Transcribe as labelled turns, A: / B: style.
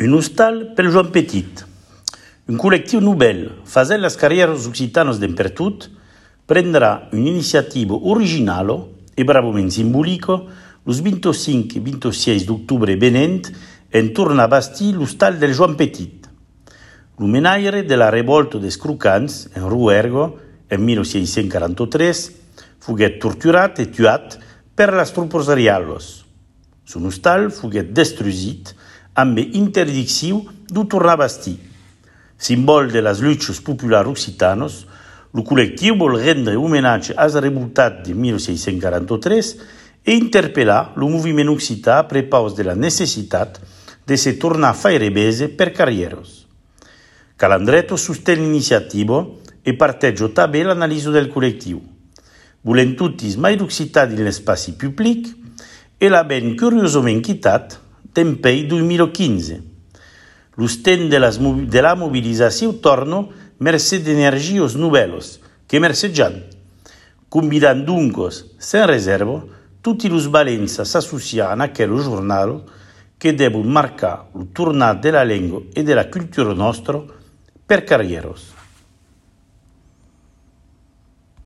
A: Un hostal per Joan Petit. Un col·lectiu nouvel, fazent les carrieres occitanes d'empertut, prendrà un'iniziativa originale e bravament simbolica los 25 e 26 d'octubre venent entorn a bastir l'hostal del Joan Petit. L'homenaire de la revolta des Crucans en Rouergue en 1643 fuguet torturat e tuat per las tropes rialos. Son hostal fuguet destruït amb interdicció de tornar a bastir. Simbol de les lluites populars occitanes, el col·lectiu vol rendre homenatge als revoltats de 1643 e interpel·lar el moviment occità a prepaus de la necessitat de se tornar a faire bese per carrieros. Calandretto sostén l'iniziativa e parteggio també l'analisi del col·lectiu. Volem tutti mai d'occità dins l'espai públic e la ben curiosament quitat tempei 2015. L'ustent de la mobilització torna mercè d'energies nouvelles que mercejant, convidant dunques, sen reserva, tutti los valents a s'associar en aquell jornal que deuen marcar el tornat de la llengua e de la cultura nostra per carrieros.